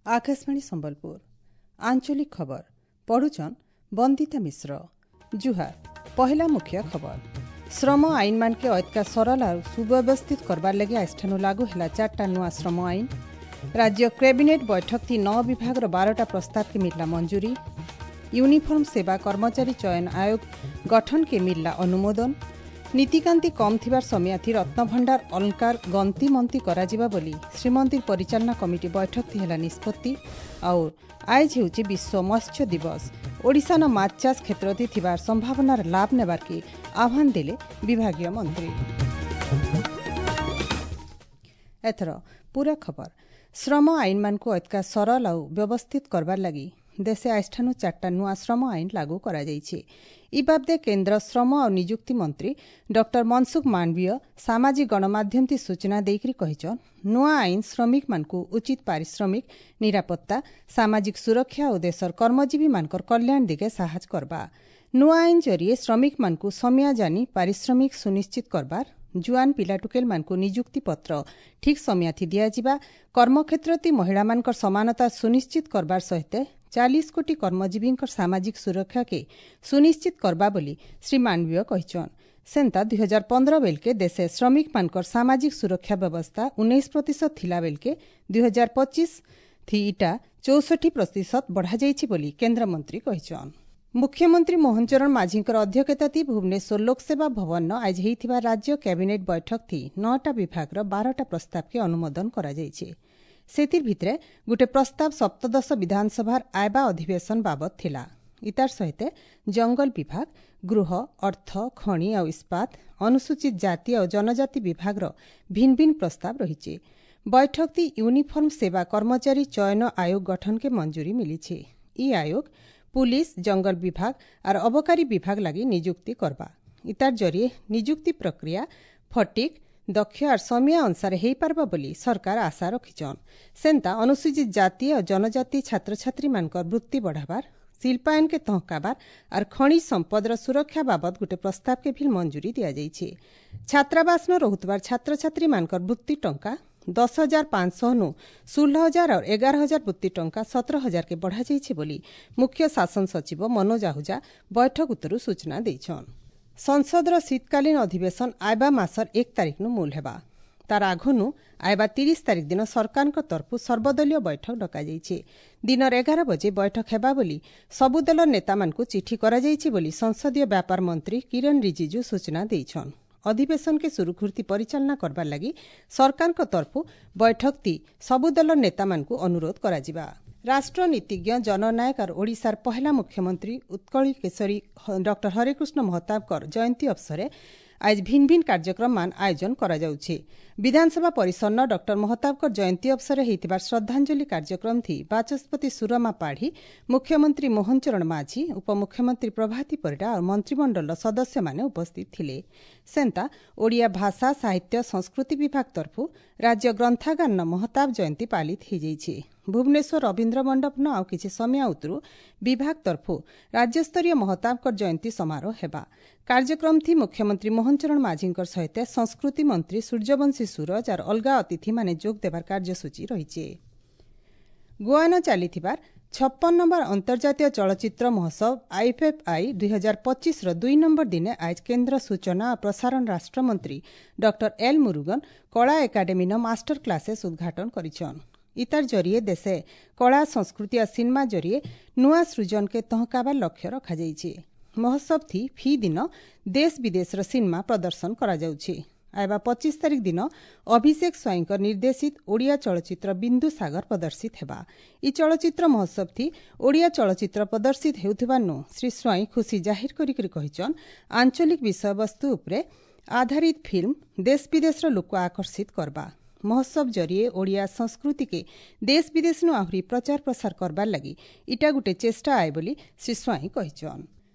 Akashvani Sambalpur ଆଞ୍ଚଳିକ ଖବର ପଢୁଛନ୍ ବନ୍ଦିତା ମିଶ୍ର। ଜୁହାର। ପହିଲା ମୁଖ୍ୟ ଖବର। ଶ୍ରମ ଆଇନମାନକେ ଅଏତକା ସରଳ ଆଉ ସୁବ୍ୟବସ୍ଥିତ କରବାର ଲାଗି ଆଜିଠାନୁ ଲାଗୁ ହେଲା ଚାରିଟା ନୂଆ ଶ୍ରମ ଆଇନ। ରାଜ୍ୟ କ୍ୟାବିନେଟ୍ ବୈଠକ ଥି 9 ବିଭାଗର 12ଟା ପ୍ରସ୍ତାବକେ ମିଳିଲା ମଞ୍ଜୁରୀ। ୟୁନିଫର୍ମ ସେବା କର୍ମଚାରୀ ଚୟନ ଆୟୋଗ ଗଠନକେ ମିଳିଲା ଅନୁମୋଦନ। ନୀତିକାନ୍ତି କମ୍ ଥିବାର ସମିୟାଥି ରତ୍ନଭଣ୍ଡାର ଅଳଙ୍କାର ଗନ୍ତିମନ୍ତି କରାଯିବା ବୋଲି ଶ୍ରୀମନ୍ଦିର ପରିଚାଳନା କମିଟି ବୈଠକ ଥି ହେଲା ନିଷ୍ପତ୍ତି। ଆଉ ଆଏଜ ହେଉଛି ବିଶ୍ୱ ମତ୍ସ୍ୟ ଦିବସ। ଓଡ଼ିଶାନ ମାଛ ଚାଷ କ୍ଷେତ୍ରଥି ଥିବାର ସମ୍ଭାବନାର ଲାଭ ନେବାର୍କେ ଆହ୍ୱାନ ଦେଲେ ବିଭାଗୀୟ ମନ୍ତ୍ରୀ। ଏଥର ପୁରା ଖବର। ଶ୍ରମ ଆଇନମାନଙ୍କୁ ଅଏତକା ସରଳ ଆଉ ବ୍ୟବସ୍ଥିତ କରବାର ଲାଗି ଦେଶେ ଆଜିଠାନୁ ଚାରିଟା ନୂଆ ଶ୍ରମ ଆଇନ ଲାଗୁ କରାଯାଇଛି। ଇ ବାବଦେ କେନ୍ଦ୍ର ଶ୍ରମ ଆଉ ନିଯୁକ୍ତି ମନ୍ତ୍ରୀ ଡକ୍ଟର ମନସୁଖ ମାଣ୍ଡବୀୟ ସାମାଜିକ ଗଣମାଧ୍ୟମଥି ସୂଚନା ଦେଇକରି କହିଛନ୍, ନୂଆ ଆଇନ ଶ୍ରମିକମାନଙ୍କୁ ଉଚିତ ପାରିଶ୍ରମିକ, ନିରାପତ୍ତା, ସାମାଜିକ ସୁରକ୍ଷା ଓ ଦେଶର କର୍ମଜୀବୀମାନଙ୍କର କଲ୍ୟାଣ ଦିଗେ ସାହାଯ୍ୟ କରବା। ନୂଆ ଆଇନ ଜରିଏ ଶ୍ରମିକମାନଙ୍କୁ ସମିଆ ଜାନି ପାରିଶ୍ରମିକ ସୁନିଶ୍ଚିତ କରବାର, ଜୁଆନ ପିଲାଟୁକେଲମାନଙ୍କୁ ନିଯୁକ୍ତି ପତ୍ର ଠିକ୍ ସମିଆଥି ଦିଆଯିବା, କର୍ମକ୍ଷେତ୍ରତି ମହିଳାମାନଙ୍କର ସମାନତା ସୁନିଶ୍ଚିତ କରବାର ସହିତ 40 କୋଟି କର୍ମଜୀବୀଙ୍କର ସାମାଜିକ ସୁରକ୍ଷାକେ ସୁନିଶ୍ଚିତ କରବା ବୋଲି ଶ୍ରୀ ମାଣ୍ଡବୀୟ କହିଛନ୍। ସେନ୍ତା 2015 ବେଲକେ ଦେଶେ ଶ୍ରମିକମାନଙ୍କର ସାମାଜିକ ସୁରକ୍ଷା ବ୍ୟବସ୍ଥା 19% ଥିଲା ବେଲକେ 2025 ଥି ଇଟା 64% ବଢ଼ାଯାଇଛି ବୋଲି କେନ୍ଦ୍ରମନ୍ତ୍ରୀ କହିଛନ୍। ମୁଖ୍ୟମନ୍ତ୍ରୀ ମୋହନ ଚରଣ ମାଝୀଙ୍କର ଅଧ୍ୟକ୍ଷତାଥି ଭୁବନେଶ୍ୱର ଲୋକସେବା ଭବନ ଆଜି ହେଇଥିବା ରାଜ୍ୟ କ୍ୟାବିନେଟ୍ ବୈଠକ ଥି 9ଟା ବିଭାଗର 12ଟା ପ୍ରସ୍ତାବକେ ଅନୁମୋଦନ କରାଯାଇଛି। ସେଥିର୍ ଭିତରେ ଗୋଟେ ପ୍ରସ୍ତାବ ସପ୍ତଦଶ ବିଧାନସଭାର ଆଇବା ଅଧିବେଶନ ବାବଦ ଥିଲା। ଇତାର ସହିତ ଜଙ୍ଗଲ ବିଭାଗ, ଗୃହ, ଅର୍ଥ, ଖଣି ଆଉ ଇସ୍ପାତ, ଅନୁସୂଚିତ ଜାତି ଆଉ ଜନଜାତି ବିଭାଗର ଭିନ୍ନ ଭିନ୍ନ ପ୍ରସ୍ତାବ ରହିଛି। ବୈଠକ ଥି ୟୁନିଫର୍ମ ସେବା କର୍ମଚାରୀ ଚୟନ ଆୟୋଗ ଗଠନକେ ମଞ୍ଜୁରୀ ମିଳିଛି। ଇ ଆୟୋଗ ପୁଲିସ, ଜଙ୍ଗଲ ବିଭାଗ ଆର୍ ଅବକାରୀ ବିଭାଗ ଲାଗି ନିଯୁକ୍ତି କରବା। ଇତାର ଜରିଏ ନିଯୁକ୍ତି ପ୍ରକ୍ରିୟା ଫଟିକ୍, ଦକ୍ଷ ଆର୍ ସମିଆ ଅନୁସାରେ ହେଇପାରବା ବୋଲି ସରକାର ଆଶା ରଖିଛନ୍। ସେନ୍ତା ଅନୁସୂଚିତ ଜାତି ଆଉ ଜନଜାତି ଛାତ୍ରଛାତ୍ରୀମାନଙ୍କର ବୃତ୍ତି ବଢ଼ାବାର, ଶିଳ୍ପାୟନକେ ତହକାବାର ଆର୍ ଖଣିଜ ସମ୍ପଦର ସୁରକ୍ଷା ବାବଦ ଗୋଟେ ପ୍ରସ୍ତାବକେ ଭିଲ୍ ମଞ୍ଜୁରୀ ଦିଆଯାଇଛି। ଛାତ୍ରାବାସନ ରହୁଥିବାର ଛାତ୍ରଛାତ୍ରୀମାନଙ୍କର ବୃତ୍ତି ଟଙ୍କା 10,500 ନୁ 16,000 ଆଉ 11,000 ବୃତ୍ତି ଟଙ୍କା 17,000କେ ବଢ଼ାଯାଇଛି ବୋଲି ମୁଖ୍ୟ ଶାସନ ସଚିବ ମନୋଜ ଆହୁଜା ବୈଠକ ଉତ୍ତରୁ ସୂଚନା ଦେଇଛନ୍। ସଂସଦର ଶୀତକାଳୀନ ଅଧିବେଶନ ଆଇବା ମାସର 1 ତାରିଖନୁ ମୂଲ ହେବା। ତାର ଆଘନୁ ଆଇବା 30 ତାରିଖ ଦିନ ସରକାରଙ୍କ ତରଫରୁ ସର୍ବଦଳୀୟ ବୈଠକ ଡକାଯାଇଛି। ଦିନର 11 ବଜେ ବୈଠକ ହେବା ବୋଲି ସବୁ ଦଳର ନେତାମାନଙ୍କୁ ଚିଠି କରାଯାଇଛି ବୋଲି ସଂସଦୀୟ ବ୍ୟାପାର ମନ୍ତ୍ରୀ କିରଣ ରିଜିଜୁ ସୂଚନା ଦେଇଛନ୍। ଅଧିବେଶନକେ ସୁରୁଖୁରୁତି ପରିଚାଳନା କରବାର ଲାଗି ସରକାରଙ୍କ ତରଫରୁ ବୈଠକତି ସବୁ ଦଳର ନେତାମାନଙ୍କୁ ଅନୁରୋଧ କରାଯିବା। ରାଷ୍ଟ୍ରନୀତିଜ୍ଞ, ଜନନାୟକ ଆର୍ ଓଡ଼ିଶାର ପହେଲା ମୁଖ୍ୟମନ୍ତ୍ରୀ ଉତ୍କଳୀ କେଶରୀ ଡକ୍ଟର ହରେକୃଷ୍ଣ ମହତାବଙ୍କର ଜୟନ୍ତୀ ଅବସରେ ଆজ ଭିନ୍ନ ଭିନ୍ନ କାର୍ଯ୍ୟକ୍ରମମାନ ଆୟୋଜନ କରାଯାଉଛି। ବିଧାନସଭା ପରିସରନ ଡକ୍ଟର ମହତାବଙ୍କର ଜୟନ୍ତୀ ଅବସରରେ ହେଇଥିବା ଶ୍ରଦ୍ଧାଞ୍ଜଳି କାର୍ଯ୍ୟକ୍ରମ ଥି ବାଚସ୍ପତି ସୁରମା ପାଢ଼ୀ, ମୁଖ୍ୟମନ୍ତ୍ରୀ ମୋହନ ଚରଣ ମାଝୀ, ଉପମୁଖ୍ୟମନ୍ତ୍ରୀ ପ୍ରଭାତୀ ପରିଡ଼ା ଆଉ ମନ୍ତ୍ରିମଣ୍ଡଳର ସଦସ୍ୟମାନେ ଉପସ୍ଥିତ ଥିଲେ। ସେନ୍ତା ଓଡ଼ିଆ ଭାଷା, ସାହିତ୍ୟ, ସଂସ୍କୃତି ବିଭାଗ ତରଫରୁ ରାଜ୍ୟ ଗ୍ରନ୍ଥାଗାରନ ମହତାବ ଜୟନ୍ତୀ ପାଳିତ ହୋଇଯାଇଛି। ଭୁବନେଶ୍ୱର ରବୀନ୍ଦ୍ର ମଣ୍ଡପନ ଆଉ କିଛି ସମୟ ଉତ୍ତରୁ ବିଭାଗ ତରଫରୁ ରାଜ୍ୟସ୍ତରୀୟ ମହତାବଙ୍କର ଜୟନ୍ତୀ ସମାରୋହ ହେବା। କାର୍ଯ୍ୟକ୍ରମ ଥି ମୁଖ୍ୟମନ୍ତ୍ରୀ ମୋହନ ଚରଣ ମାଝୀଙ୍କର ସହିତ ସଂସ୍କୃତି ମନ୍ତ୍ରୀ ସୂର୍ଯ୍ୟବଂଶୀ ସୂରଜ ଆର୍ ଅଲଗା ଅତିଥିମାନେ ଯୋଗ ଦେବାର କାର୍ଯ୍ୟସୂଚୀ ରହିଛି। ଗୋଆନ ଚାଲିଥିବାର 56 ନମ୍ବର ଅନ୍ତର୍ଜାତୀୟ ଚଳଚ୍ଚିତ୍ର ମହୋତ୍ସବ ଆଇଏଫ୍ଏଫ୍ଆଇ 2025ର 2 ନମ୍ବର ଦିନେ ଆଜ କେନ୍ଦ୍ର ସୂଚନା ଓ ପ୍ରସାରଣ ରାଷ୍ଟ୍ରମନ୍ତ୍ରୀ ଡକ୍ଟର ଏଲ୍ ମୁରୁଗନ କଳା ଏକାଡେମୀନ ମାଷ୍ଟର କ୍ଲାସେସ୍ ଉଦ୍ଘାଟନ କରିଛନ୍। ଇତାର ଜରିଏ ଦେଶେ କଳା, ସଂସ୍କୃତି ଆଉ ସିନେମା ଜରିଏ ନୂଆ ସୃଜନକେ ତହକାବାର ଲକ୍ଷ୍ୟ ରଖାଯାଇଛି। ମହୋତ୍ସବ ଥି ଫି ଦିନ ଦେଶ ବିଦେଶର ସିନେମା ପ୍ରଦର୍ଶନ କରାଯାଉଛି। ଆଇବା 25 ତାରିଖ ଦିନ ଅଭିଷେକ ସ୍ୱାଇଁଙ୍କ ନିର୍ଦ୍ଦେଶିତ ଓଡ଼ିଆ ଚଳଚ୍ଚିତ୍ର ବିନ୍ଦୁ ସାଗର ପ୍ରଦର୍ଶିତ ହେବା। ଇ ଚଳଚ୍ଚିତ୍ର ମହୋତ୍ସବ ଥି ଓଡ଼ିଆ ଚଳଚ୍ଚିତ୍ର ପ୍ରଦର୍ଶିତ ହେଉଥିବା ନୁ ଶ୍ରୀ ସ୍ୱାଇଁ ଖୁସି ଜାହିର କରିକରି କହିଛନ୍, ଆଞ୍ଚଳିକ ବିଷୟବସ୍ତୁ ଉପରେ ଆଧାରିତ ଫିଲ୍ମ ଦେଶ ବିଦେଶର ଲୋକ ଆକର୍ଷିତ କରବା। ମହୋତ୍ସବ ଜରିଏ ଓଡ଼ିଆ ସଂସ୍କୃତିକେ ଦେଶ ବିଦେଶନୁ ଆହୁରି ପ୍ରଚାର ପ୍ରସାର କରବାର ଲାଗି ଇଟା ଗୋଟେ ଚେଷ୍ଟା ଆଏ ବୋଲି ଶ୍ରୀ ସ୍ୱାଇଁ କହିଛନ୍।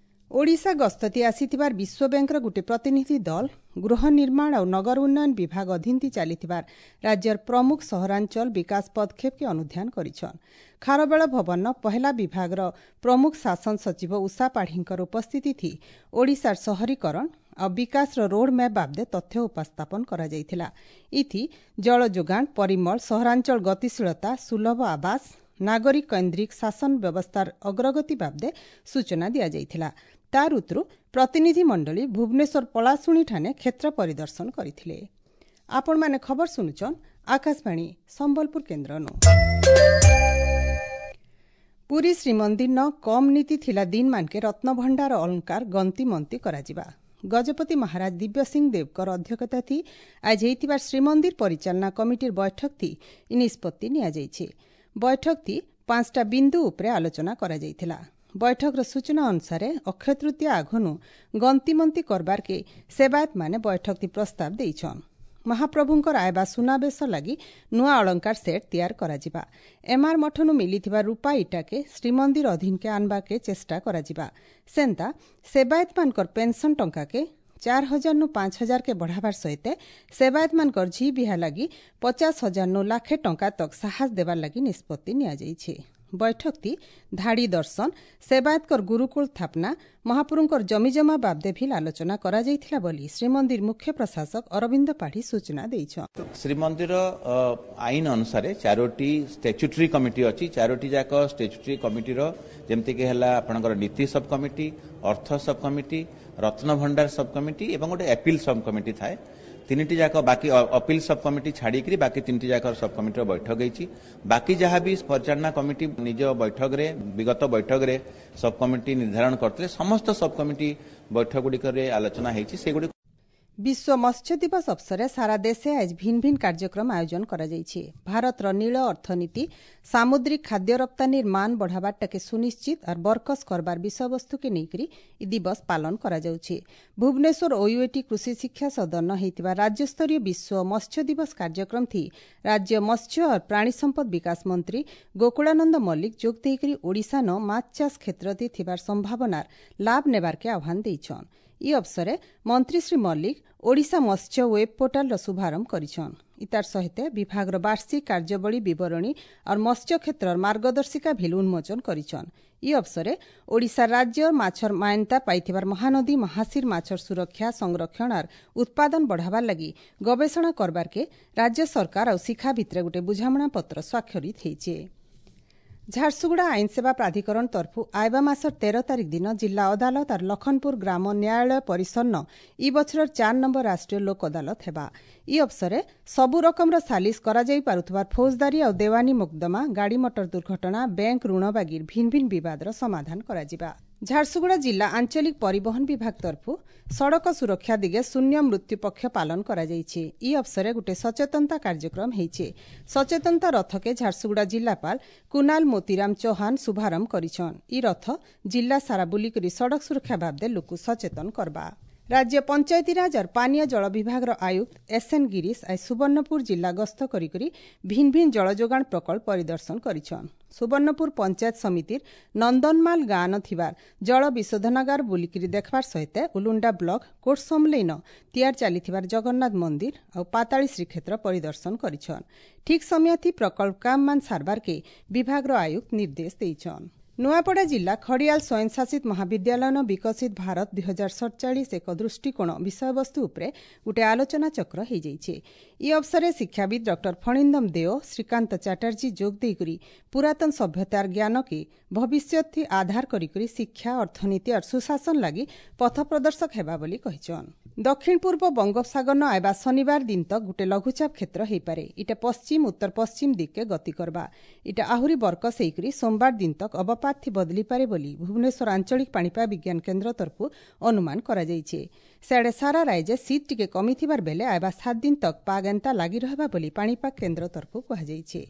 ଓଡ଼ିଶା ଗସ୍ତତି ଆସିଥିବାର ବିଶ୍ୱ ବ୍ୟାଙ୍କର ଗୋଟିଏ ପ୍ରତିନିଧି ଦଳ ଗୃହ ନିର୍ମାଣ ଆଉ ନଗର ଉନ୍ନୟନ ବିଭାଗ ଅଧୀନତି ଚାଲିଥିବାର ରାଜ୍ୟର ପ୍ରମୁଖ ସହରାଞ୍ଚଳ ବିକାଶ ପଦକ୍ଷେପକେ ଅନୁଧ୍ୟାନ କରିଛନ୍। ଖାରବେଳ ଭବନ ପହେଲା ବିଭାଗର ପ୍ରମୁଖ ଶାସନ ସଚିବ ଉଷା ପାଢ଼ୀଙ୍କର ଉପସ୍ଥିତି ଥି ଓଡ଼ିଶାର ସହରୀକରଣ ଆଉ ବିକାଶର ରୋଡ୍ ମ୍ୟାପ୍ ବାବଦେ ତଥ୍ୟ ଉପସ୍ଥାପନ କରାଯାଇଥିଲା। ଇଥି ଜଳ ଯୋଗାଣ, ପରିମଳ, ସହରାଞ୍ଚଳ ଗତିଶୀଳତା, ସୁଲଭ ଆବାସ, ନାଗରିକ କୈନ୍ଦ୍ରିକ ଶାସନ ବ୍ୟବସ୍ଥାର ଅଗ୍ରଗତି ବାବଦେ ସୂଚନା ଦିଆଯାଇଥିଲା। ତାର ଉତ୍ତରୁ ପ୍ରତିନିଧି ମଣ୍ଡଳୀ ଭୁବନେଶ୍ୱର ପଳାଶୁଣୀଠାନେ କ୍ଷେତ୍ର ପରିଦର୍ଶନ କରିଥିଲେ। ଆପଣମାନେ ଖବର ଶୁଣୁଛନ୍ ଆକାଶବାଣୀ ସମ୍ବଲପୁର କେନ୍ଦ୍ରନୁ। ପୁରୀ ଶ୍ରୀମନ୍ଦିର କମ୍ ନୀତି ଥିଲା ଦିନମାନକେ ରତ୍ନଭଣ୍ଡାର ଅଳଙ୍କାର ଗନ୍ତିମନ୍ତି କରାଯିବା। ଗଜପତି ମହାରାଜ ଦିବ୍ୟସିଂହ ଦେବଙ୍କର ଅଧ୍ୟକ୍ଷତା ଥି ଆଜି ହେଇଥିବା ଶ୍ରୀମନ୍ଦିର ପରିଚାଳନା କମିଟିର ବୈଠକ ଥି ଇ ନିଷ୍ପତ୍ତି ନିଆଯାଇଛି। ବୈଠକ ଥି 5ଟା ବିନ୍ଦୁ ଉପରେ ଆଲୋଚନା କରାଯାଇଥିଲା। ବୈଠକର ସୂଚନା ଅନୁସାରେ ଅକ୍ଷୟ ତୃତୀୟା ଆଘନୁ ଗନ୍ତିମନ୍ତି କରବାର୍କେ ସେବାୟତମାନେ ବୈଠକ ପ୍ରସ୍ତାବ ଦେଇଛନ୍। ମହାପ୍ରଭୁଙ୍କର ଆଇବା ସୁନାବେଶ ଲାଗି ନୂଆ ଅଳଙ୍କାର ସେଟ୍ ତିଆର କରାଯିବା। ଏମ୍ଆର୍ ମଠନୁ ମିଲିଥିବା ରୂପା ଇଟାକେ ଶ୍ରୀମନ୍ଦିର ଅଧୀନକେ ଆନବାକେ ଚେଷ୍ଟା କରାଯିବା। ସେନ୍ତା ସେବାୟତମାନଙ୍କର ପେନ୍ସନ୍ ଟଙ୍କାକେ 4,000 ନୁ 5,000 କେ ବଢ଼ାବାର ସହିତ ସେବାୟତମାନଙ୍କର ଝି ବିହା ଲାଗି 50,000 ନୁ ଲାଖେ ଟଙ୍କା ତକ୍ ସାହସ ଦେବାର ଲାଗି ନିଷ୍ପତ୍ତି ନିଆଯାଇଛି। ବୈଠକଟି ଧାଡ଼ି ଦର୍ଶନ, ସେବାୟତଙ୍କର ଗୁରୁକୁଳ ସ୍ଥାପନା, ମହାପ୍ରଭୁଙ୍କର ଜମିଜମା ବାବଦେ ଭିଲ୍ ଆଲୋଚନା କରାଯାଇଥିଲା ବୋଲି ଶ୍ରୀମନ୍ଦିର ମୁଖ୍ୟ ପ୍ରଶାସକ ଅରବିନ୍ଦ ପାଢ଼ୀ ସୂଚନା ଦେଇଛନ୍। ଶ୍ରୀମନ୍ଦିର ଆଇନ ଅନୁସାରେ 4ଟି ଷ୍ଟାଚ୍ୟୁଟରୀ କମିଟି ଅଛି। 4ଟି ଯାକ ଷ୍ଟାଚ୍ୟୁଟରୀ କମିଟିର ଯେମିତିକି ହେଲା ଆପଣଙ୍କର ନୀତି ସବ୍ କମିଟି, ଅର୍ଥ ସବ୍ କମିଟି, ରତ୍ନଭଣ୍ଡାର ସବ୍ କମିଟି ଏବଂ ଗୋଟେ ଆପିଲ୍ ସବ୍ କମିଟି ଥାଏ। 3ଟି ଯାକ ବାକି ଅପିଲ ସବ୍ କମିଟି ଛାଡ଼ିକିରି ବାକି 3ଟି ଯାକ ସବ୍ କମିଟିର ବୈଠକ ହେଇଛି। ବାକି ଯାହା ବି ପରିଚାଳନା କମିଟି ନିଜ ବୈଠକରେ ବିଗତ ବୈଠକରେ ସବ୍ କମିଟି ନିର୍ଦ୍ଧାରଣ କରିଥିଲେ, ସମସ୍ତ ସବ୍ କମିଟି ବୈଠକ ଗୁଡ଼ିକରେ ଆଲୋଚନା ହେଇଛି। ସେଗୁଡ଼ିକ ବିଶ୍ୱ ମତ୍ସ୍ୟ ଦିବସ ଅବସରରେ ସାରା ଦେଶେ ଆଜ ଭିନ୍ନ ଭିନ୍ନ କାର୍ଯ୍ୟକ୍ରମ ଆୟୋଜନ କରାଯାଇଛି। ଭାରତର ନୀଳ ଅର୍ଥନୀତି ସାମୁଦ୍ରିକ ଖାଦ୍ୟ ରପ୍ତାନିର ମାନ ବଢ଼ାବାରଟାକେ ସୁନିଶ୍ଚିତ ଆର୍ ବରକସ କରବାର ବିଷୟବସ୍ତୁକେ ନେଇକରି ଇ ଦିବସ ପାଳନ କରାଯାଉଛି। ଭୁବନେଶ୍ୱର ଓୟୁଏଟି କୃଷି ଶିକ୍ଷା ସଦନ ହେଇଥିବା ରାଜ୍ୟସ୍ତରୀୟ ବିଶ୍ୱ ମତ୍ସ୍ୟ ଦିବସ କାର୍ଯ୍ୟକ୍ରମ ଥି ରାଜ୍ୟ ମତ୍ସ୍ୟ ଓ ପ୍ରାଣୀ ସମ୍ପଦ ବିକାଶ ମନ୍ତ୍ରୀ ଗୋକୁଳାନନ୍ଦ ମଲ୍ଲିକ ଯୋଗ ଦେଇକରି ଓଡ଼ିଶାନ ମାଛ ଚାଷ କ୍ଷେତ୍ରତି ଥିବାର ସମ୍ଭାବନାର ଲାଭ ନେବାରକେ ଆହ୍ୱାନ ଦେଇଛନ୍। ଇ ଅବସରେ ମନ୍ତ୍ରୀ ଶ୍ରୀ ମଲ୍ଲିକ ଓଡ଼ିଶା ମତ୍ସ୍ୟ ୱେବ୍ ପୋର୍ଟାଲର ଶୁଭାରମ୍ଭ କରିଛନ୍। ଇତାର ସହିତ ବିଭାଗର ବାର୍ଷିକ କାର୍ଯ୍ୟାବଳୀ ବିବରଣୀ और ମତ୍ସ୍ୟ କ୍ଷେତ୍ରର ମାର୍ଗଦର୍ଶିକା ଭିଲ୍ ଉନ୍ମୋଚନ କରିଛନ୍। ଇ ଅବସରେ ଓଡ଼ିଶା ରାଜ୍ୟ ମାଛର ମାନ୍ୟତା ପାଇଥିବାର ମହାନଦୀ ମହାଶୀର ମାଛର ସୁରକ୍ଷା, ସଂରକ୍ଷଣ ଆର୍ ଉତ୍ପାଦନ ବଢ଼ାବାର ଲାଗି ଗବେଷଣା କରବାରକେ ରାଜ୍ୟ ସରକାର ଆଉ ଶିଖା ଭିତରେ ଗୋଟେ ବୁଝାମଣା ପତ୍ର ସ୍ୱାକ୍ଷରିତ ହେଇଛେ। ଝାରସୁଗୁଡ଼ା ଆଇନସେବା ପ୍ରାଧିକରଣ ତରଫୁ ଆଇବା ମାସର 13 ତାରିଖ ଦିନ ଜିଲ୍ଲା ଅଦାଲତ ଆର୍ ଲଖନପୁର ଗ୍ରାମ ନ୍ୟାୟାଳୟ ପରିସରନ ଇ ବଛରର 4 ନମ୍ବର ରାଷ୍ଟ୍ରୀୟ ଲୋକ ଅଦାଲତ ହେବା। ଇ ଅବସରେ ସବୁ ରକମର ସାଲିସ କରାଯାଇ ପାରୁଥିବା ଫୌଜଦାରୀ ଆଉ ଦେୱାନୀ ମୋକଦ୍ଦମା, ଗାଡ଼ି ମଟର ଦୁର୍ଘଟଣା, ବ୍ୟାଙ୍କ ଋଣ ବାଗିର ଭିନ୍ନ ଭିନ୍ନ ବିବାଦର ସମାଧାନ କରାଯିବା। ଝାରସୁଗୁଡ଼ା ଜିଲ୍ଲା ଆଞ୍ଚଳିକ ପରିବହନ ବିଭାଗ ତରଫୁ ସଡ଼କ ସୁରକ୍ଷା ଦିଗେ ଶୂନ୍ୟ ମୃତ୍ୟୁ ପକ୍ଷ ପାଳନ କରାଯାଇଛି। ଇ ଅବସରେ ଗୋଟେ ସଚେତନତା କାର୍ଯ୍ୟକ୍ରମ ହେଇଛି। ସଚେତନତା ରଥକେ ଝାରସୁଗୁଡ଼ା ଜିଲ୍ଲାପାଳ କୁନାଲ ମୋତିରାମ ଚୌହାନ ଶୁଭାରମ୍ଭ କରିଛନ୍। ଇ ରଥ ଜିଲ୍ଲା ସାରା ବୁଲିକରି ସଡ଼କ ସୁରକ୍ଷା ବାବଦେ ଲୋକ ସଚେତନ କରବା। ରାଜ୍ୟ ପଞ୍ଚାୟତିରାଜ और ପାନୀୟ ଜଳ ବିଭାଗର ଆୟୁକ୍ତ ଏସ୍ଏନ୍ ଗିରିଶ ଆଜି ସୁବର୍ଣ୍ଣପୁର ଜିଲ୍ଲା ଗସ୍ତ କରିକରି ଭିନ୍ନ ଭିନ୍ନ ଜଳ ଯୋଗାଣ ପ୍ରକଳ୍ପ ପରିଦର୍ଶନ କରିଛନ୍। ସୁବର୍ଣ୍ଣପୁର ପଞ୍ଚାୟତ ସମିତିର ନନ୍ଦନମାଲ ଗାଁନ ଥିବାର ଜଳ ବିଶୋଧନାଗାର ବୁଲିକିରି ଦେଖବାର ସହିତ ଉଲୁଣ୍ଡା ବ୍ଲକ କୋଟସମଲେଇନ ତିଆର ଚାଲିଥିବାର ଜଗନ୍ନାଥ ମନ୍ଦିର ଆଉ ପାତାଳୀ ଶ୍ରୀକ୍ଷେତ୍ର ପରିଦର୍ଶନ କରିଛନ୍। ଠିକ୍ ସମୟଥି ପ୍ରକଳ୍ପ କାମମାନ ସାରବାରକେ ବିଭାଗର ଆୟୁକ୍ତ ନିର୍ଦ୍ଦେଶ ଦେଇଛନ୍। ନୂଆପଡ଼ା ଜିଲ୍ଲା ଖଡ଼ିଆଲ ସ୍ୱୟଂଶାସିତ ମହାବିଦ୍ୟାଳୟନ ବିକଶିତ ଭାରତ 2047 ଏକ ଦୃଷ୍ଟିକୋଣ ବିଷୟବସ୍ତୁ ଉପରେ ଗୋଟିଏ ଆଲୋଚନା ଚକ୍ର ହୋଇଯାଇଛି। ଇ ଅବସରରେ ଶିକ୍ଷାବିତ୍ ଡକ୍ଟର ଫଣିନ୍ଦମ ଦେଓ, ଶ୍ରୀକାନ୍ତ ଚାଟାର୍ଜୀ ଯୋଗ ଦେଇକରି ପୁରାତନ ସଭ୍ୟତାର ଜ୍ଞାନକେ ଭବିଷ୍ୟତ ଆଧାର କରିକରି ଶିକ୍ଷା, ଅର୍ଥନୀତି ଆର୍ ସୁଶାସନ ଲାଗି ପଥ ପ୍ରଦର୍ଶକ ହେବା ବୋଲି କହିଛନ୍। ଦକ୍ଷିଣ ପୂର୍ବ ବଙ୍ଗୋପସାଗରନ ଆଇବା ଶନିବାର ଦିନ ତକ୍ ଗୋଟେ ଲଘୁଚାପ କ୍ଷେତ୍ର ହେଇପାରେ। ଇଟା ପଶ୍ଚିମ ଉତ୍ତର ପଶ୍ଚିମ ଦିଗକେ ଗତି କରବା। ଇଟା ଆହୁରି ବରକସ ହେଇକରି ସୋମବାର ଦିନ ତକ୍ ଅବପାତ ଥି ବଦଲିପାରେ ବୋଲି ଭୁବନେଶ୍ୱର ଆଞ୍ଚଳିକ ପାଣିପାଗ ବିଜ୍ଞାନ କେନ୍ଦ୍ର ତରଫରୁ ଅନୁମାନ କରାଯାଇଛି। ସିଆଡ଼େ ସାରା ରାଜ୍ୟ ଶୀତ ଟିକେ କମିଥିବାର ବେଲେ ଆଇବା 7 ଦିନ ତକ୍ ପାଗ ଏନ୍ତା ଲାଗି ରହିବା ବୋଲି ପାଣିପାଗ କେନ୍ଦ୍ର ତରଫରୁ କୁହାଯାଇଛି।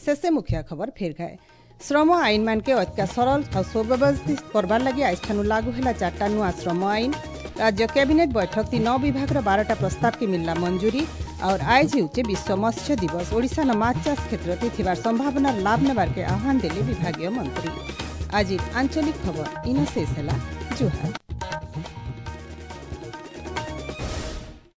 ଶେଷେ ମୁଖ୍ୟ ଖବର ଫେର ଘାଏ। ଶ୍ରମ ଆଇନ ମାନକେ ଅତ୍କା ସରଳ ଆଉ ସୁବ୍ୟବସ୍ଥିତ କରବାର ଲାଗି ଆଜିଠାନୁ ଲାଗୁ ହେଲା 4ଟା ନୂଆ ଶ୍ରମ ଆଇନ। राज्य कैबिनेट बैठक ती 9 विभाग 12टा प्रस्ताव की मिलला मंजूरी। और आइज हेउचे विश्व मत्स्य दिवस। ओडिशा न माछ चाष क्षेत्र थिबार संभावना लाभ नेबार के आह्वान देले विभागीय मंत्री। आज आंचलिक खबर इन शेष होला। जुहार।